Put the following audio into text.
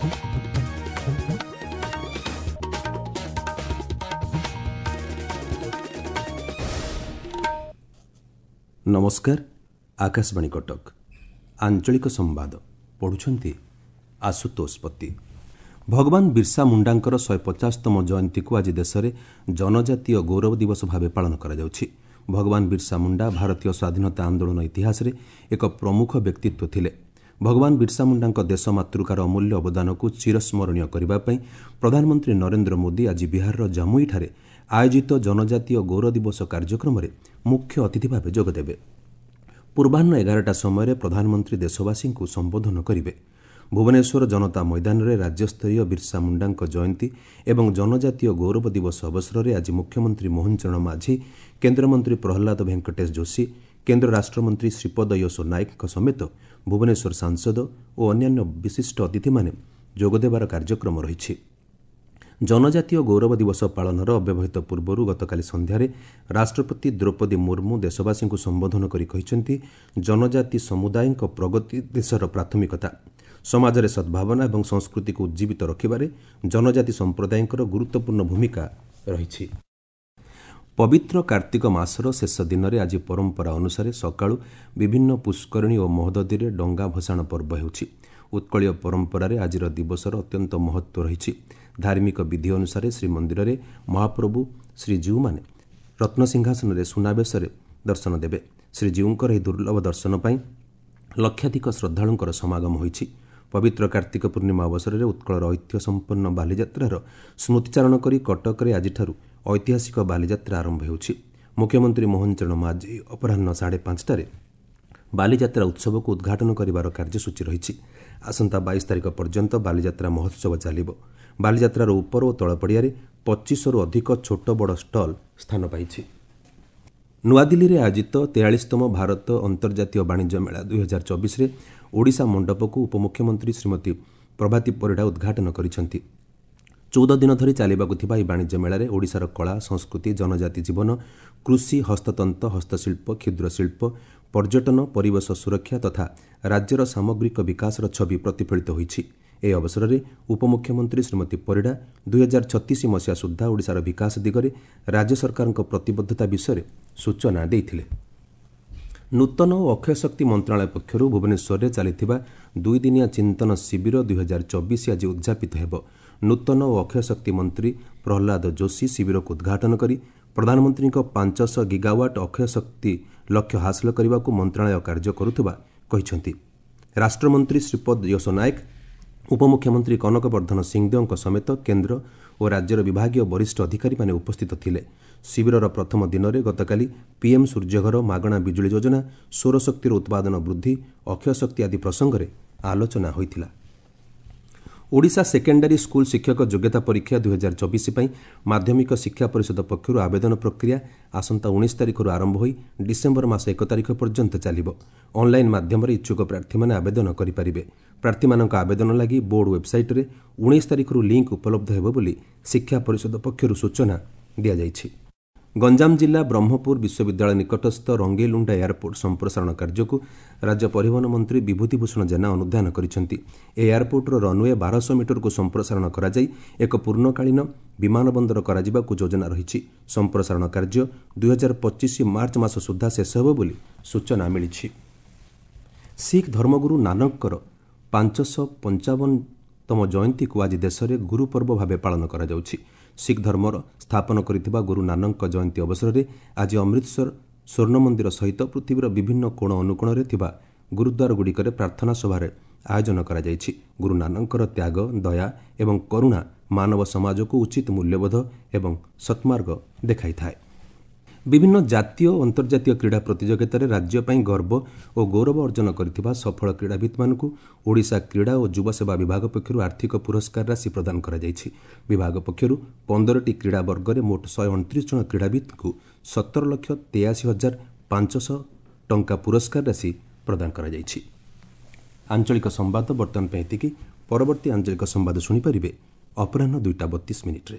ନମସ୍କାର, ଆକାଶବାଣୀ କଟକ। ଆଞ୍ଚଳିକ ସମ୍ବାଦ ପଢ଼ୁଛନ୍ତି ଆଶୁତୋଷ ପତି। ଭଗବାନ ବିର୍ସା ମୁଣ୍ଡାଙ୍କର 150ତମ ଜୟନ୍ତୀକୁ ଆଜି ଦେଶରେ ଜନଜାତୀୟ ଗୌରବ ଦିବସ ଭାବେ ପାଳନ କରାଯାଉଛି। ଭଗବାନ ବିର୍ସା ମୁଣ୍ଡା ଭାରତୀୟ ସ୍ୱାଧୀନତା ଆନ୍ଦୋଳନ ଇତିହାସରେ ଏକ ପ୍ରମୁଖ ବ୍ୟକ୍ତିତ୍ୱ ଥିଲେ। ଭଗବାନ ବିର୍ସା ମୁଣ୍ଡାଙ୍କ ଦେଶ ମାତୃକାର ଅମୂଲ୍ୟ ଅବଦାନକୁ ଚିରସ୍ମରଣୀୟ କରିବା ପାଇଁ ପ୍ରଧାନମନ୍ତ୍ରୀ ନରେନ୍ଦ୍ର ମୋଦି ଆଜି ବିହାରର ଜାମୁଇଠାରେ ଆୟୋଜିତ ଜନଜାତୀୟ ଗୌରବ ଦିବସ କାର୍ଯ୍ୟକ୍ରମରେ ମୁଖ୍ୟ ଅତିଥି ଭାବେ ଯୋଗଦେବେ। ପୂର୍ବାହ୍ନ 11ଟା ସମୟରେ ପ୍ରଧାନମନ୍ତ୍ରୀ ଦେଶବାସୀଙ୍କୁ ସମ୍ବୋଧନ କରିବେ। ଭୁବନେଶ୍ୱର ଜନତା ମଇଦାନରେ ରାଜ୍ୟସ୍ତରୀୟ ବିର୍ସା ମୁଣ୍ଡାଙ୍କ ଜୟନ୍ତୀ ଏବଂ ଜନଜାତୀୟ ଗୌରବ ଦିବସ ଅବସରରେ ଆଜି ମୁଖ୍ୟମନ୍ତ୍ରୀ ମୋହନ ଚରଣ ମାଝୀ, କେନ୍ଦ୍ରମନ୍ତ୍ରୀ ପ୍ରହ୍ଲାଦ ଭେଙ୍କଟେଶ ଯୋଶୀ, କେନ୍ଦ୍ର ରାଷ୍ଟ୍ରମନ୍ତ୍ରୀ ଶ୍ରୀପଦ ୟଶୋ ନାୟକଙ୍କ ସମେତ ଭୁବନେଶ୍ୱର ସାଂସଦ ଓ ଅନ୍ୟାନ୍ୟ ବିଶିଷ୍ଟ ଅତିଥିମାନେ ଯୋଗଦେବାର କାର୍ଯ୍ୟକ୍ରମ ରହିଛି। ଜନଜାତୀୟ ଗୌରବ ଦିବସ ପାଳନର ଅବ୍ୟବହିତ ପୂର୍ବରୁ ଗତକାଲି ସନ୍ଧ୍ୟାରେ ରାଷ୍ଟ୍ରପତି ଦ୍ରୌପଦୀ ମୁର୍ମୁ ଦେଶବାସୀଙ୍କୁ ସମ୍ବୋଧନ କରି କହିଛନ୍ତି, ଜନଜାତି ସମୁଦାୟଙ୍କ ପ୍ରଗତି ଦେଶର ପ୍ରାଥମିକତା। ସମାଜରେ ସଦ୍ଭାବନା ଏବଂ ସଂସ୍କୃତିକୁ ଉଜ୍ଜୀବିତ ରଖିବାରେ ଜନଜାତି ସମ୍ପ୍ରଦାୟଙ୍କର ଗୁରୁତ୍ୱପୂର୍ଣ୍ଣ ଭୂମିକା ରହିଛି। ପବିତ୍ର କାର୍ତ୍ତିକ ମାସର ଶେଷ ଦିନରେ ଆଜି ପରମ୍ପରା ଅନୁସାରେ ସକାଳୁ ବିଭିନ୍ନ ପୁଷ୍କରିଣୀ ଓ ମହୋଦଧିରେ ଡଙ୍ଗା ଭସାଣ ପର୍ବ ହେଉଛି। ଉତ୍କଳୀୟ ପରମ୍ପରାରେ ଆଜିର ଦିବସର ଅତ୍ୟନ୍ତ ମହତ୍ତ୍ୱ ରହିଛି। ଧାର୍ମିକ ବିଧି ଅନୁସାରେ ଶ୍ରୀମନ୍ଦିରରେ ମହାପ୍ରଭୁ ଶ୍ରୀଜୀଉମାନେ ରତ୍ନସିଂହାସନରେ ସୁନାବେଶରେ ଦର୍ଶନ ଦେବେ। ଶ୍ରୀଜୀଉଙ୍କର ଏହି ଦୁର୍ଲଭ ଦର୍ଶନ ପାଇଁ ଲକ୍ଷାଧିକ ଶ୍ରଦ୍ଧାଳୁଙ୍କର ସମାଗମ ହୋଇଛି। ପବିତ୍ର କାର୍ତ୍ତିକ ପୂର୍ଣ୍ଣିମା ଅବସରରେ ଉତ୍କଳର ଐତିହ୍ୟ ସମ୍ପନ୍ନ ବାଲିଯାତ୍ରାର ସ୍ମୃତିଚାରଣ କରି କଟକରେ ଆଜିଠାରୁ ଐତିହାସିକ ବାଲିଯାତ୍ରା ଆରମ୍ଭ ହେଉଛି। ମୁଖ୍ୟମନ୍ତ୍ରୀ ମୋହନ ଚରଣ ମାଝୀ ଅପରାହ୍ନ 5:30ଟାରେ ବାଲିଯାତ୍ରା ଉତ୍ସବକୁ ଉଦ୍ଘାଟନ କରିବାର କାର୍ଯ୍ୟସୂଚୀ ରହିଛି। ଆସନ୍ତା 22 ତାରିଖ ପର୍ଯ୍ୟନ୍ତ ବାଲିଯାତ୍ରା ମହୋତ୍ସବ ଚାଲିବ। ବାଲିଯାତ୍ରାର ଉପର ଓ ତଳ ପଡ଼ିଆରେ 25ରୁ ଅଧିକ ଛୋଟ ବଡ଼ ଷ୍ଟଲ୍ ସ୍ଥାନ ପାଇଛି। ନୂଆଦିଲ୍ଲୀରେ ଆୟୋଜିତ 43ତମ ଭାରତ ଅନ୍ତର୍ଜାତୀୟ ବାଣିଜ୍ୟ ମେଳା 2024ରେ ଓଡ଼ିଶା ମଣ୍ଡପକୁ ଉପମୁଖ୍ୟମନ୍ତ୍ରୀ ଶ୍ରୀମତୀ ପ୍ରଭାତୀ ପରିଡ଼ା ଉଦ୍ଘାଟନ କରିଛନ୍ତି। 14 ଦିନ ଧରି ଚାଲିବାକୁ ଥିବା ଏହି ବାଣିଜ୍ୟ ମେଳାରେ ଓଡ଼ିଶାର କଳା, ସଂସ୍କୃତି, ଜନଜାତି ଜୀବନ, କୃଷି, ହସ୍ତତନ୍ତ, ହସ୍ତଶିଳ୍ପ, କ୍ଷୁଦ୍ରଶିଳ୍ପ, ପର୍ଯ୍ୟଟନ, ପରିବେଶ ସୁରକ୍ଷା ତଥା ରାଜ୍ୟର ସାମଗ୍ରିକ ବିକାଶର ଛବି ପ୍ରତିଫଳିତ ହୋଇଛି। ଏହି ଅବସରରେ ଉପମୁଖ୍ୟମନ୍ତ୍ରୀ ଶ୍ରୀମତୀ ପରିଡ଼ା 2036 ମସିହା ସୁଦ୍ଧା ଓଡ଼ିଶାର ବିକାଶ ଦିଗରେ ରାଜ୍ୟ ସରକାରଙ୍କ ପ୍ରତିବଦ୍ଧତା ବିଷୟରେ ସୂଚନା ଦେଇଥିଲେ। ନୂତନ ଓ ଅକ୍ଷୟ ଶକ୍ତି ମନ୍ତ୍ରଣାଳୟ ପକ୍ଷରୁ ଭୁବନେଶ୍ୱରରେ ଚାଲିଥିବା ଦୁଇଦିନିଆ ଚିନ୍ତନ ଶିବିର 2024 ଆଜି ଉଦ୍ଯାପିତ ହେବ। ନୂତନ ଓ ଅକ୍ଷୟ ଶକ୍ତି ମନ୍ତ୍ରୀ ପ୍ରହ୍ଲାଦ ଯୋଶୀ ଶିବିରକୁ ଉଦ୍ଘାଟନ କରି ପ୍ରଧାନମନ୍ତ୍ରୀଙ୍କ 500 ଗିଗାୱାଟ୍ ଅକ୍ଷୟ ଶକ୍ତି ଲକ୍ଷ୍ୟ ହାସଲ କରିବାକୁ ମନ୍ତ୍ରଣାଳୟ କାର୍ଯ୍ୟ କରୁଥିବା କହିଛନ୍ତି। ରାଷ୍ଟ୍ରମନ୍ତ୍ରୀ ଶ୍ରୀପଦ ୟଶୋ ନାୟକ, ଉପମୁଖ୍ୟମନ୍ତ୍ରୀ କନକ ବର୍ଦ୍ଧନ ସିଂଦେଓଙ୍କ ସମେତ କେନ୍ଦ୍ର ଓ ରାଜ୍ୟର ବିଭାଗୀୟ ବରିଷ୍ଠ ଅଧିକାରୀମାନେ ଉପସ୍ଥିତ ଥିଲେ। ଶିବିରର ପ୍ରଥମ ଦିନରେ ଗତକାଲି ପିଏମ୍ ସୂର୍ଯ୍ୟଘର, ମାଗଣା ବିଜୁଳି ଯୋଜନା, ସୌରଶକ୍ତିର ଉତ୍ପାଦନ ବୃଦ୍ଧି, ଅକ୍ଷୟ ଶକ୍ତି ଆଦି ପ୍ରସଙ୍ଗରେ ଆଲୋଚନା ହୋଇଥିଲା। ଓଡ଼ିଶା ସେକେଣ୍ଡାରୀ ସ୍କୁଲ ଶିକ୍ଷକ ଯୋଗ୍ୟତା ପରୀକ୍ଷା 2024 ପାଇଁ ମାଧ୍ୟମିକ ଶିକ୍ଷା ପରିଷଦ ପକ୍ଷରୁ ଆବେଦନ ପ୍ରକ୍ରିୟା ଆସନ୍ତା 19 ତାରିଖରୁ ଆରମ୍ଭ ହୋଇ ଡିସେମ୍ବର ମାସ 1 ତାରିଖ ପର୍ଯ୍ୟନ୍ତ ଚାଲିବ। ଅନ୍ଲାଇନ୍ ମାଧ୍ୟମରେ ଇଚ୍ଛୁକ ପ୍ରାର୍ଥୀମାନେ ଆବେଦନ କରିପାରିବେ। ପ୍ରାର୍ଥୀମାନଙ୍କ ଆବେଦନ ଲାଗି ବୋର୍ଡ ୱେବ୍ସାଇଟ୍ରେ 19 ତାରିଖରୁ ଲିଙ୍କ୍ ଉପଲବ୍ଧ ହେବ ବୋଲି ଶିକ୍ଷା ପରିଷଦ ପକ୍ଷରୁ ସୂଚନା ଦିଆଯାଇଛି। ଗଞ୍ଜାମ ଜିଲ୍ଲା ବ୍ରହ୍ମପୁର ବିଶ୍ୱବିଦ୍ୟାଳୟ ନିକଟସ୍ଥ ରଙ୍ଗେଇଲୁଣ୍ଡା ଏୟାରପୋର୍ଟ ସମ୍ପ୍ରସାରଣ କାର୍ଯ୍ୟକୁ ରାଜ୍ୟ ପରିବହନ ମନ୍ତ୍ରୀ ବିଭୂତି ଭୂଷଣ ଜେନା ଅନୁଧ୍ୟାନ କରିଛନ୍ତି। ଏହି ଏୟାରପୋର୍ଟର ରନ୍ୱେ 1200 ମିଟରକୁ ସମ୍ପ୍ରସାରଣ କରାଯାଇ ଏକ ପୂର୍ଣ୍ଣକାଳୀନ ବିମାନ ବନ୍ଦର କରାଯିବାକୁ ଯୋଜନା ରହିଛି। ସମ୍ପ୍ରସାରଣ କାର୍ଯ୍ୟ 2025 ମାର୍ଚ୍ଚ ମାସ ସୁଦ୍ଧା ଶେଷ ହେବ ବୋଲି ସୂଚନା ମିଳିଛି। ଶିଖ୍ ଧର୍ମଗୁରୁ ନାନକଙ୍କର 555ତମ ଜୟନ୍ତୀକୁ ଆଜି ଦେଶରେ ଗୁରୁପର୍ବ ଭାବେ ପାଳନ କରାଯାଉଛି। ଶିଖ୍ ଧର୍ମର ସ୍ଥାପନ କରିଥିବା ଗୁରୁ ନାନକଙ୍କ ଜୟନ୍ତୀ ଅବସରରେ ଆଜି ଅମୃତସର ସ୍ୱର୍ଣ୍ଣ ମନ୍ଦିର ସହିତ ପୃଥିବୀର ବିଭିନ୍ନ କୋଣ ଅନୁକୋଣରେ ଥିବା ଗୁରୁଦ୍ୱାରଗୁଡ଼ିକରେ ପ୍ରାର୍ଥନା ସଭାରେ ଆୟୋଜନ କରାଯାଇଛି। ଗୁରୁ ନାନକଙ୍କର ତ୍ୟାଗ, ଦୟା ଏବଂ କରୁଣା ମାନବ ସମାଜକୁ ଉଚିତ ମୂଲ୍ୟବୋଧ ଏବଂ ସତ୍ମାର୍ଗ ଦେଖାଇଥାଏ। ବିଭିନ୍ନ ଜାତୀୟ ଓ ଅନ୍ତର୍ଜାତୀୟ କ୍ରୀଡ଼ା ପ୍ରତିଯୋଗିତାରେ ରାଜ୍ୟ ପାଇଁ ଗର୍ବ ଓ ଗୌରବ ଅର୍ଜନ କରିଥିବା ସଫଳ କ୍ରୀଡ଼ାବିତ୍ମାନଙ୍କୁ ଓଡ଼ିଶା କ୍ରୀଡ଼ା ଓ ଯୁବସେବା ବିଭାଗ ପକ୍ଷରୁ ଆର୍ଥିକ ପୁରସ୍କାର ରାଶି ପ୍ରଦାନ କରାଯାଇଛି। ବିଭାଗ ପକ୍ଷରୁ 15ଟି କ୍ରୀଡ଼ା ବର୍ଗରେ ମୋଟ 129 ଜଣ କ୍ରୀଡ଼ାବିତ୍ଙ୍କୁ 17,83,500 ଟଙ୍କା ପୁରସ୍କାର ରାଶି ପ୍ରଦାନ କରାଯାଇଛି। ଆଞ୍ଚଳିକ ସମ୍ବାଦ ବର୍ତ୍ତମାନ ପାଇଁ ଏତିକି। ପରବର୍ତ୍ତୀ ଆଞ୍ଚଳିକ ସମ୍ବାଦ ଶୁଣିପାରିବେ ଅପରାହ୍ନ 2ଟା 32 ମିନିଟ୍ରେ।